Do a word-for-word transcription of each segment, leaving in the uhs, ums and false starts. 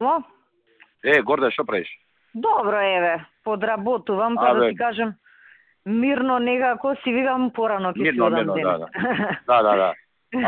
Мо? Е, Горде, што правиш? Добро, еве, подработувам, па да ти кажем, мирно некако си викам порано ќе си одам денес. Да, да. да, да, да.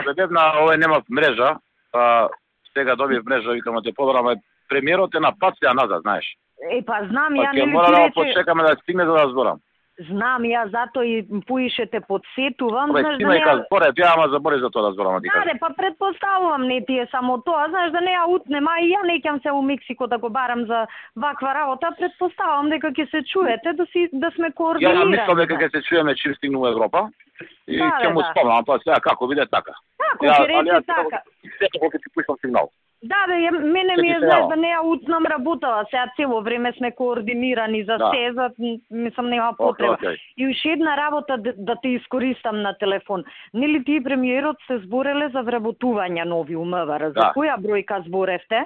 Абе, бебна, овој нема мрежа, па сега добив мрежа, викам, те побраме, премиерот е на пат сега назад, знаеш. Е, па знам, па, ја нели ти мора да рече... почекаме да стигне за да зборам. Знам, ја зато и поишете подсетувам, Бе, знаеш ти да ме не... кажа, поре, ти ама забори за тоа да зборам, ти кажа. Да, па предпоставувам, не ти е само тоа, знаеш да не ја утнема и ја неќам се у Мексико да го барам за ваква работа, предпоставувам дека ќе се чуете да си да сме координирани. Ја мислам дека ќе се чуеме чим стигнем во Европа и да, ќе му да. спомнам, па сега како биде така. Како ќе рече така. Сето кога ти пуштам сигнал. Да, бе, мене ми е знаеш да не ја утнам работава, сега цело време сме координирани за да. се, за мислам нема потреба. Okay, okay. И уште една работа да, да те искористам на телефон. Нели ти и премиерот се збореле за вработување нови у МВР, за да. која бројка зборевте?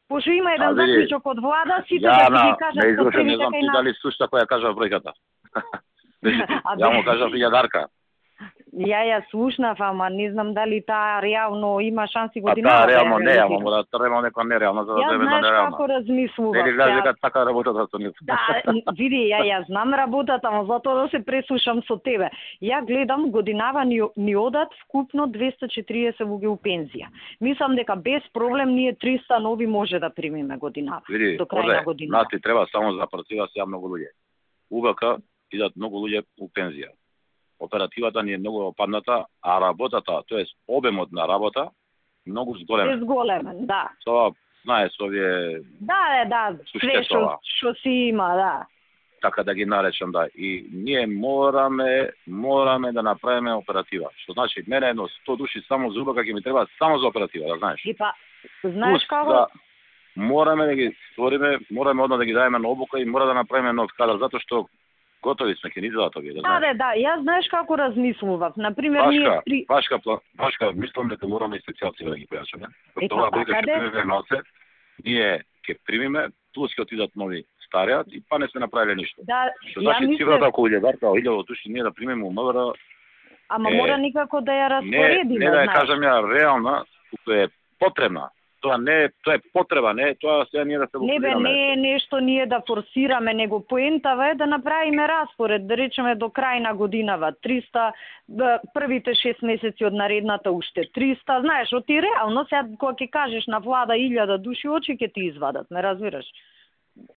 Пошто има еден да, заклучок од влада, сите да да ти кажат не изрушен, не знам ти дали слушта која кажа бројката. Ја му кажа илјадарка. Ја ја слушнав, ама не знам дали таа реално има шанси година. А таа реално не, ама мора да треба некоја нереална за да земе на нереална. Ја знаеш како размислував. Нели гледаш дека така работата со нив. Да, види, ја ја знам работата, ама затоа да се преслушам со тебе. Ја гледам годинава ни, ни одат вкупно двесте и четириесет луѓе у пензија. Мислам дека без проблем ние триста нови може да примиме годинава. Види, до крај на годината. Нати треба само за оператива се многу луѓе. УВК идат многу луѓе у пензија. Оперативата ни е многу опадната, а работата, тоест обемот на работа, многу зголемен. Е зголемен, да. Тоа, знаеш, овие... Да, да, све што, што си има, да. Така да ги наречам, да. И ние мораме, мораме да направиме оператива. Што значи, мене едно сто души само за УБК ќе ми треба само за оператива, да знаеш. И па, знаеш како? Да, мораме да ги створиме, мораме одно да ги даеме на обука и мора да направиме нов кадар, затоа што готови сме, ќе ни изгледат овие, да знаеш. Да, да, јас знаеш како размислував. Например, Пашка, ние три... Пашка, Пашка, мислам дека мораме и специјалци да ги појачаме. Е, тоа па, дека ќе примеме ноце, ние ќе примиме, плюс ќе отидат нови старијат и па не сме направиле ништо. Да, што значи мисле... цифрата околу илјадарка, илјада души ние да примиме у МВР. Ама е... мора никако да ја распоредиме, не, не да ја кажам ја реална, туку е потребна. Тоа не, тоа е потреба, не, тоа сега ние да се Не бе, не е нешто ние да форсираме, него поентава е да направиме распоред, да речеме до крај на годинава триста, првите шест месеци од наредната уште триста, знаеш, оти реално сега кога ќе кажеш на влада илјада души, очи ќе ти извадат, ме разбираш?